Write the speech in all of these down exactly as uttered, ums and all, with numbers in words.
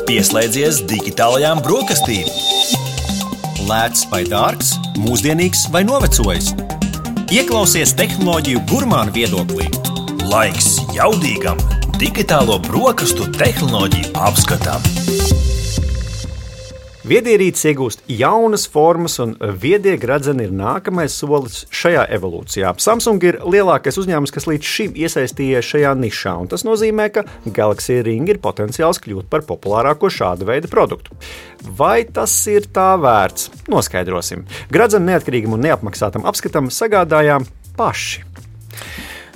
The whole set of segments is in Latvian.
Pieslēdzies digitālajām brokastīm. Lēts vai dārgs, mūsdienīgs vai novecojis. Ieklausies tehnoloģiju gurmānu viedoklī. Laiks jaudīgam digitālo brokastu tehnoloģiju apskatam. Viedierīces iegūst jaunas formas, un viedie gradzeni ir nākamais solis šajā evolūcijā. Samsung ir lielākais uzņēmums, kas līdz šim iesaistījies šajā nišā, un tas nozīmē, ka Galaxy Ring ir potenciāls kļūt par populārāko šāda veida produktu. Vai tas ir tā vērts? Noskaidrosim. Gradzenu neatkarīgam un neapmaksātam apskatam sagādājām paši.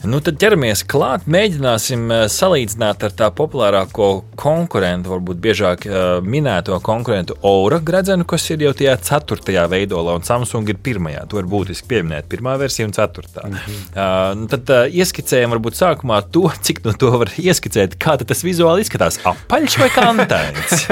Nu, tad ķeramies klāt, mēģināsim salīdzināt ar tā populārāko konkurentu, varbūt biežāk minēto konkurentu Aura gradzenu, kas ir jau tajā ceturtajā veidolā, un Samsung ir pirmajā. To ir būtiski pieminēt, pirmā versija un ceturtā. Mm-hmm. Uh, tad uh, ieskicējam varbūt sākumā to, cik no to var ieskicēt, kā tas vizuāli izskatās, apaļš vai kantains?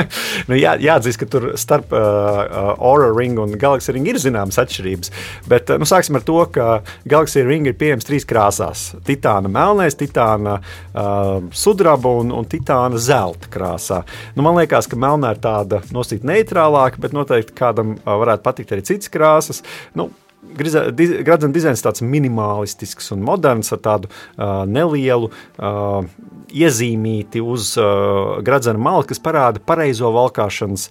nu, jā, jāatzīst, ka tur starp uh, Aura Ring un Galaxy Ring ir zināmas atšķirības, bet uh, nu, sāksim ar to, ka Galaxy Ring ir pieejams trīs krāsās. Titāna melnais, titāna uh, sudraba un, un titāna zelta krāsā. Nu, man liekas, ka melnā ir tāda nosīt neitrālāka, bet noteikti kādam uh, varētu patikt arī citas krāsas. Nu, gradzena dizains tāds minimalistisks un moderns ar tādu uh, nelielu uh, iezīmīti uz uh, gradzena malas, kas parāda pareizo valkāšanas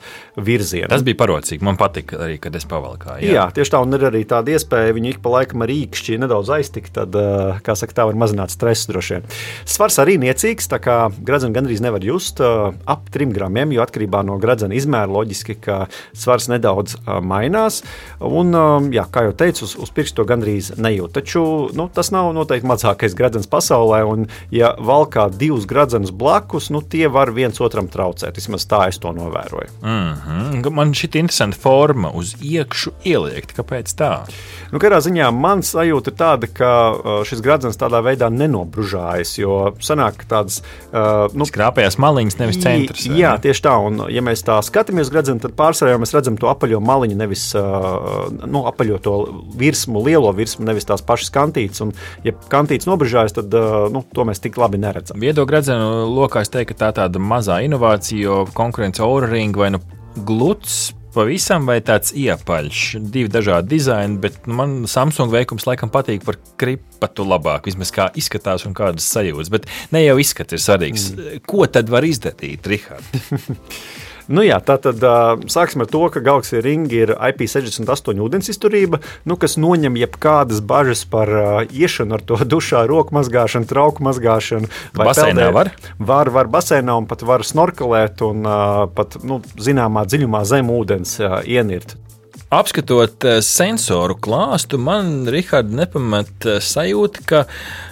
virzienu. Tas bija parocīgi, man patika arī, kad es pavalkāju. Jā, jā tieši tā, un ir arī tāda iespēja viņu ik pa laikam ar īkšķi nedaudz aiztikt, tad, uh, kā saka, tā var mazināt stresu droši vien. Svars arī niecīgs, tā kā gradzenu gandrīz nevar just uh, ap trim gramiem, jo atkarībā no gradzena izmēra loģiski, ka svars nedaudz uh, mainās, un, uh, jā, kā jau teicu, uz, uz pirkstu to gandrīz nejūt. Taču nu, tas nav noteikti mazākais gradzens pasaulē, un ja valkā divus gradzenus blakus, nu tie var viens otram traucēt. Vismaz tā es to novēroju. Mm-hmm. Man šī interesanta forma uz iekšu ieliekt. Kāpēc tā? Nu, kādā ziņā man sajūta ir tāda, ka šis gradzens tādā veidā nenobružājas, jo sanāk tādas... Uh, nu, Skrāpējās maliņas, nevis centrs. Jā, ne? Tieši tā, un ja mēs tā skatāmies gradzenu, tad pārsvarā mēs redzam to apaļo maliņu, nevis uh, nu, apaļo to virsmu, lielo virsmu, nevis tās pašas kantītes, un ja kantītes nobružājas, tad uh, nu, to mēs tik labi neredzam. Viedo gradzenu lokā es teiktu, ka tā tāda mazā inovācija, jo konkurence Aura Ring vai nu gluds pavisam vai tāds iepaļš, divi dažādi dizaini, bet man Samsung veikums laikam patīk par kripatu labāk, vismaz kā izskatās un kādas sajūtas, bet ne jau izskats ir svarīgs. Mm. Ko tad var izdarīt, Rihard? Nu jā, tātad uh, sāksim ar to, ka Galaxy Ring ir I P sešdesmit astoņi ūdens izturība, nu, kas noņem jebkādas bažas par uh, iešanu ar to dušā, roku mazgāšanu, trauku mazgāšanu. Baseinā var? Var, var baseinā un pat var snorkelēt un uh, pat, nu, zināmā dziļumā zem ūdens uh, ienirt. Apskatot sensoru klāstu, man, Rihard, nepamat sajūta, ka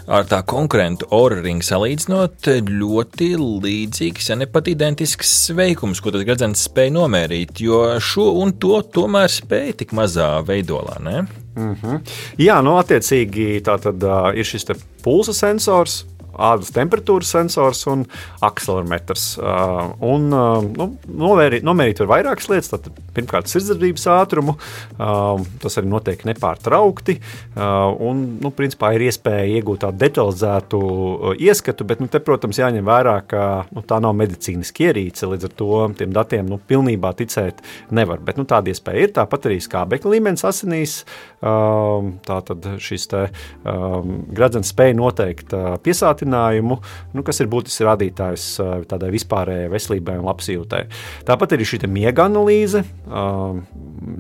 ar tā konkurentu Aura Ring salīdzinot ļoti līdzīgs, ja ne pat identisks veikums, ko tas gradzens spēja nomērīt, jo šo un to tomēr spēja tik mazā veidolā, ne? Mm-hmm. Jā, nu attiecīgi tā tad uh, ir šis te pulsa sensors, ādas temperatūras sensors un akselerometrs. Uh, un, uh, nu, nomērīt, nomērīt var vairākas lietas. Tātad, pirmkārt, sirdsdarbības ātrumu. Uh, tas arī notiek nepārtraukti. Uh, un, nu, principā, ir iespēja iegūt tādu detalizētu uh, ieskatu, bet, nu, te, protams, jāņem vērā, ka nu, tā nav medicīniski ierīce. Līdz ar to tiem datiem nu, pilnībā ticēt nevar. Bet nu, tāda iespēja ir. Tāpat arī skābekļa līmenis asinīs. Uh, tātad šis te uh, gradzens spēja noteikt uh, piesātinājumu, nu, kas ir būtisks rādītājs tādai vispārējai veselībai un labsajūtai. Tāpat arī šī miega analīze, uh,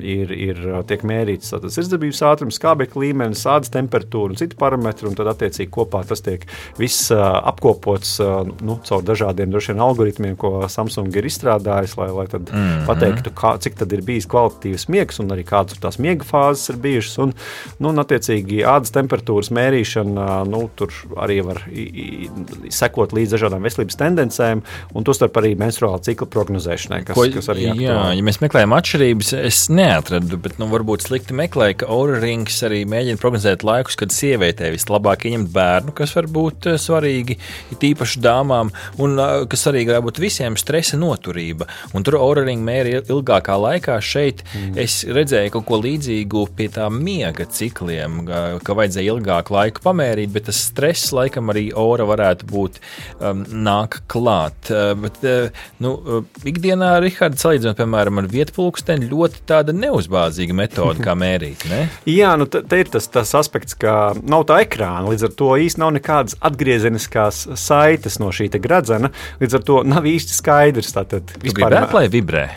ir, ir tiek mērīts sirdsdarbības ātrums, skābekļa līmenis, ādas temperatūra un citi parametri, un tad attiecīgi kopā tas tiek viss uh, apkopots uh, nu, caur dažādiem droši vien algoritmiem, ko Samsung ir izstrādājis, lai, lai tad mm-hmm. pateiktu, kā, cik tad ir bijis kvalitatīvs miegs un arī kādas tās miega fāzes ir bijušas, un, nu, un attiecīgi ādas temperatūras mērīšana, nu, tur arī var sekot līdz dažādām veselības tendencēm, un tostarp arī menstruāla cikla prognozēšanai, kas, Ko, kas arī aktuāli. Jā, ja mēs meklējam atšķirības, es neatradu, bet nu, varbūt slikti meklēju, ka Aura Rings arī mēģina prognozēt laikus, kad sievietē vislabāk ieņemt bērnu, kas var būt svarīgi, it īpaši dāmām, un kas arī var būt visiem stresa noturība. Un tur Aura Ring mēra ilgākā laikā. Šeit mm. es redzēju kaut ko līdzīgu pie tā miega cikliem, ka vajadzēja ilgāku laiku pamērīt, bet tas stress laikam arī Aura varētu būt um, nāk klāt. Uh, bet, uh, nu, uh, ikdienā, Rihards, salīdzinot, piemēram, ar vietpulksteni, ļoti tāda neuzbāzīga metode, kā mērīt, ne? Jā, nu te, te ir tas, tas aspekts, ka nav tā ekrāna, līdz ar to īsti nav nekādas atgriezeniskās saites no šī te gradzena, līdz ar to nav īsti skaidrs. Tātad, tu gribētu, lai vibrē?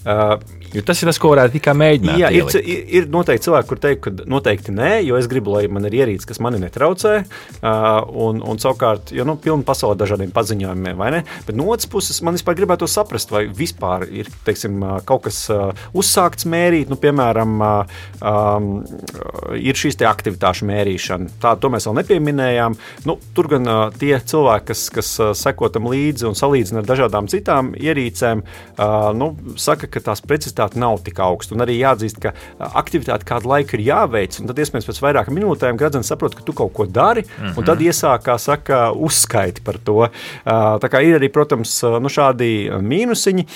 Uh, Jo tas ir tas, ko varētu tikai mēģināt. Jā, ir, ir, ir noteikti cilvēki, kur teikt, ka noteikti nē, jo es gribu, lai man ir ierīce, kas mani netraucē. Uh, un, un savukārt, jo nu, pilna pasaule dažādiem paziņojumiem, vai ne? Bet no otras puses, man vispār gribētu to saprast, vai vispār ir, teiksim, kaut kas uh, uzsākts mērīt, nu, piemēram, uh, um, ir šīs te aktivitāšu mērīšana. Tā, to mēs vēl nepieminējām. Nu, tur gan uh, tie cilvēki, kas, kas uh, seko tam līdzi un salīdzina ar dažādām citām ierīcēm, uh, nu, saka, ka tās precizitātes nav tik augsta. Un arī jāatzīst, ka aktivitāte kādu laiku ir jāveic, un tad iespējams pēc vairākām minūtēm gradzens saprot, ka tu kaut ko dari, mm-hmm. un tad iesāk, kā saka, uzskaiti par to. Tā kā ir arī, protams, nu, šādi mīnusiņi.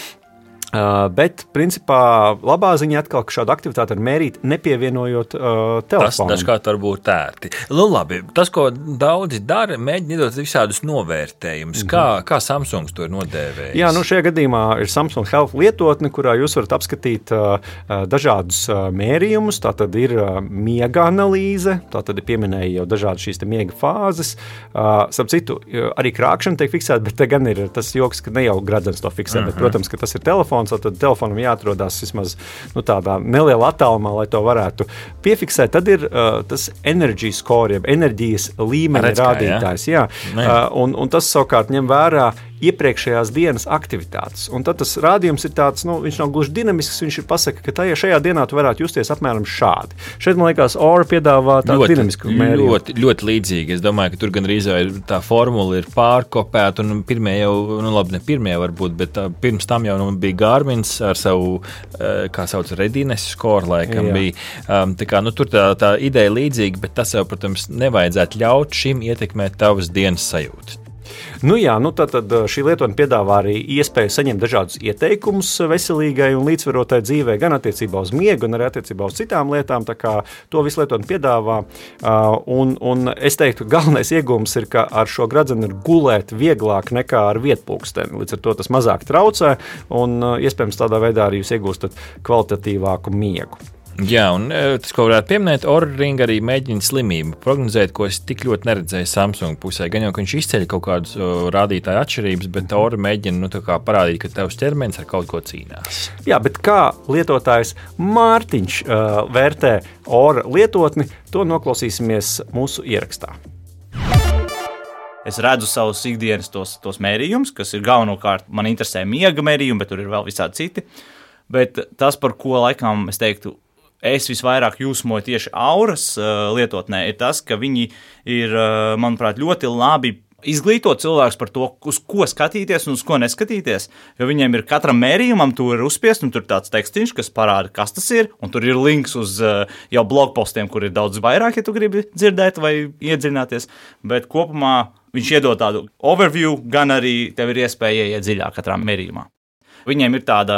Uh, bet, principā, labā ziņa atkal, ka šādu aktivitāti var mērīt, nepievienojot uh, telefonu. Tas dažkārt var būt ērti. Nu, labi, tas, ko daudzi dara, mēģina iedot visādus novērtējumus. Mm-hmm. Kā, kā Samsungs to ir nodēvējis? Jā, nu šajā gadījumā ir Samsung Health lietotne, kurā jūs varat apskatīt uh, dažādus uh, mērījumus. Tā tad ir uh, miega analīze, tā tad ir pieminēja jau dažādas šīs te miega fāzes. Uh, Sap citu, arī krākšana tiek fiksēta, bet te gan ir tas joks, ka ne jau gradzens to fiksē, mm-hmm. bet, protams, ka tas ir telefons. Tad telefonam jāatrodas vismaz nu, tādā nelielā attālumā, lai to varētu piefiksēt. Tad ir uh, tas energy score, jeb enerģijas līmeņa Redz, rādītājs. Jā. Jā. Uh, un, un tas savukārt ņem vērā iepriekšējās dienas aktivitātes. Un tad tas rādījums ir tāds, nu, viņš nav gluži dinamisks, viņš ir pasaka, ka tajā, šajā dienā tu varētu justies apmēram šādi. Šeit, man liekas, Aura piedāvā tādu ļoti, dinamisku mērījumu. Ļoti, ļoti līdzīgi. Es domāju, ka tur gan rīzē tā formula ir pārkopēta, un pirmie jau, nu labi, ne pirmie varbūt, bet tā, pirms tam jau nu, bija Garmins ar savu, kā sauc, Readiness score, laikam Jā. bija. Um, tā kā, nu, tur tā, tā ideja līdzīga, bet tas jau, protams, nevajadzētu ļaut šim ietekmēt tavas dienas sajūtas. Nu jā, nu tad šī lietotne piedāvā arī iespēju saņemt dažādus ieteikumus veselīgai un līdzsvarotai dzīvē, gan attiecībā uz miegu, gan arī attiecībā uz citām lietām. Tā kā to visu lietotne piedāvā. Un, un es teiktu, galvenais iegūms ir, ka ar šo gradzenu ir gulēt vieglāk nekā ar vietpulksteni. Līdz ar to tas mazāk traucē un iespējams tādā veidā arī jūs iegūstat kvalitatīvāku miegu. Jā, un tas, ko varētu pieminēt, Oura Ring arī mēģina slimību prognozēt, ko es tik ļoti neredzēju Samsung pusē. Gan jau, ka viņš izceļ kaut kādus rādītāju atšķirības, bet Oura mēģina nu, tā kā parādīt, ka tavs ķermenis ar kaut ko cīnās. Jā, bet kā lietotājs Mārtiņš uh, vērtē Oura lietotni, to noklausīsimies mūsu ierakstā. Es redzu savus ikdienas tos, tos mērījumus, kas ir galvenokārt, man interesē miega mērījumi, bet tur ir vēl visādi citi. Bet tas, par ko laikam es teiktu, es visvairāk jūsmoju tieši Auras uh, lietotnē, ir tas, ka viņi ir, uh, manuprāt, ļoti labi izglītot cilvēkus par to, uz ko skatīties un uz ko neskatīties, jo viņiem ir katram mērījumam, tur ir uzspiest, un tur ir tāds tekstiņš, kas parāda, kas tas ir, un tur ir links uz uh, jau blogpostiem, kur ir daudz vairāk, ja tu gribi dzirdēt vai iedziļināties, bet kopumā viņš iedod tādu overview, gan arī tev ir iespēja ieiet dziļāk katrā mērījumā. Viņiem ir tāda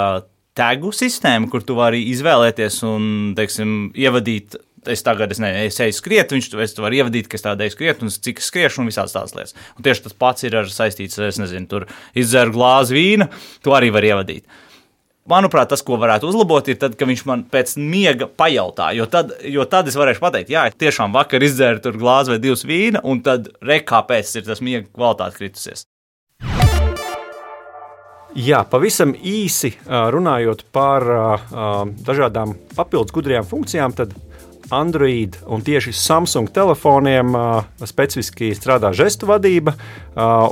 tagu sistēma, kur tu vari izvēlēties un, teiksim, ievadīt, es tagad, es nezinu, es eju skriet, viņš tu vari ievadīt, ka es tādu eju skriet, un cik es skriešu, un visādas tādas lietas. Un tieši tas pats ir ar saistīts, es nezinu, tur izdzeru glāzi vīna, tu arī vari ievadīt. Manuprāt, tas, ko varētu uzlabot, ir tad, ka viņš man pēc miega pajautā, jo tad, jo tad es varēšu pateikt, jā, tiešām vakar izdzēru tur glāzi vai divas vīna, un tad re, kāpēc ir tas miega kvalitāte kritusies. Jā, pavisam īsi runājot par dažādām papildus gudrajām funkcijām, tad Android un tieši Samsung telefoniem specifiski strādā žestu vadība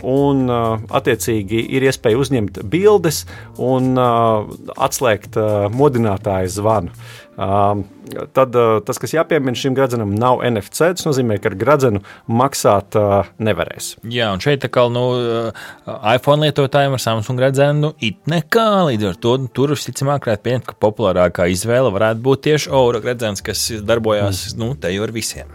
un attiecīgi ir iespēja uzņemt bildes un atslēgt modinātāju zvanu. Tad tas, kas jāpiemina šim gradzenam, nav N F C, tas nozīmē, ka ar gradzenu maksāt nevarēs. Jā, un šeit tā kā nu, iPhone lietotājiem ar Samsung gradzenu nu, it nekā, līdz ar to tur visticamāk varētu pieņemt, ka populārākā izvēle varētu būt tieši Aura gradzens, kas darbojās nu, te jau ar visiem.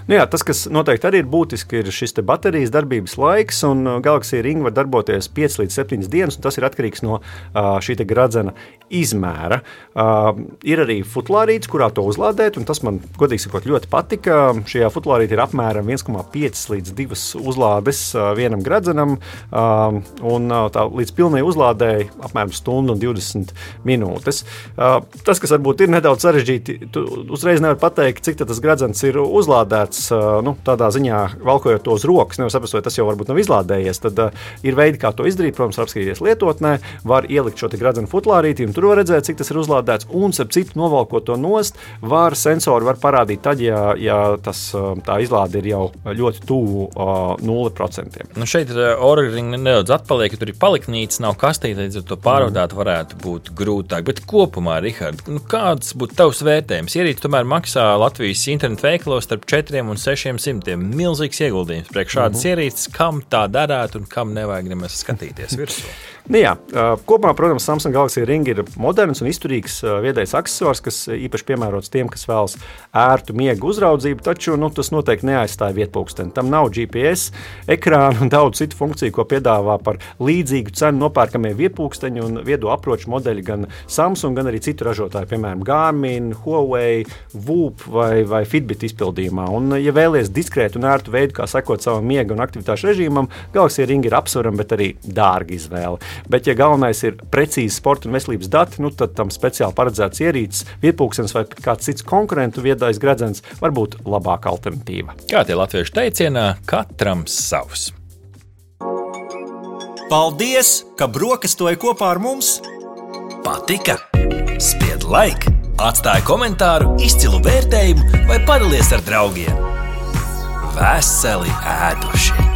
Nu jā, tas, kas noteikti arī ir būtiski, ir šis baterijas darbības laiks, un Galaxy Ring var darboties piecas līdz septiņas dienas, un tas ir atkarīgs no uh, šī gradzena izmēra. Uh, ir arī futlārīts, kurā to uzlādēt, un tas man, godīgi sakot, ļoti patika. Šajā futlārītī ir apmēram viens komats pieci līdz divas uzlādes uh, vienam gradzenam, uh, un uh, tā līdz pilnai uzlādēji apmēram stundu un divdesmit minūtes. Uh, tas, kas varbūt ir nedaudz sarežģīti, tu uzreiz nevar pateikt, cik tas gradzens ir uzlādēts, uh, nu, tādā ziņā valkojot to uz rokas, nevar saprast, vai tas jau varbūt nav izlādējies, tad uh, ir veidi, kā to izdarīt, protams, var apskatīties lietotnē, var ielikt šo te gradzenu futlārītī, un tur var redzēt, cik tas ir uzlādēts, un, starp citu, novalkot to nost, var sensori var parādīt tad, ja, ja tas, tā izlāde ir jau ļoti tuvu uh, nulle procentiem. Nu šeit Oura Ring nedaudz atpaliek, ja tur ir paliknīts, nav kastīte, līdz ar to pārvadāt varētu būt grūtāk. Bet kopumā, Rihard, nu kāds būtu tavs vērtējums? Ierīce tomēr maksā Latvijas internetu veikalos starp četriem un sešiem simtiem. Milzīgs ieguldījums priekš šādas uh-huh. ierīces, kam tā darētu un kam nevajag nemaz skatīties virsū. Nu jā, kopumā, protams, Samsung Galaxy Ring ir moderns un izturīgs viedais aksesors, kas īpaši piemērots tiem, kas vēlas ērtu miegu uzraudzību, taču nu, tas noteikti neaizstāja vietpulksteni. Tam nav G P S, ekrānu un daudz citu funkciju, ko piedāvā par līdzīgu cenu nopērkamie vietpulksteņi un viedo aproču modeļi gan Samsung, gan arī citu ražotāju, piemēram, Garmin, Huawei, Whoop vai, vai Fitbit izpildījumā. Un, ja vēlies diskrētu un ērtu veidu, kā sekot savam miega un aktivitāšu režīmam, Galaxy Ring ir apsverama, bet arī dārga izvēle. Bet, ja galvenais ir precīzi sporta un veselības dati, nu, tad tam speciāli paredzēts ierīces, vietpulkstenis vai kāds cits konkurentu viedais gredzens var būt labāka alternatīva. Kā tie latviešu teicienā, katram savs. Paldies, ka brokastoji kopā ar mums! Patika? Spied like, atstāj komentāru, izcilu vērtējumu vai padalies ar draugiem. Veseli ēduši!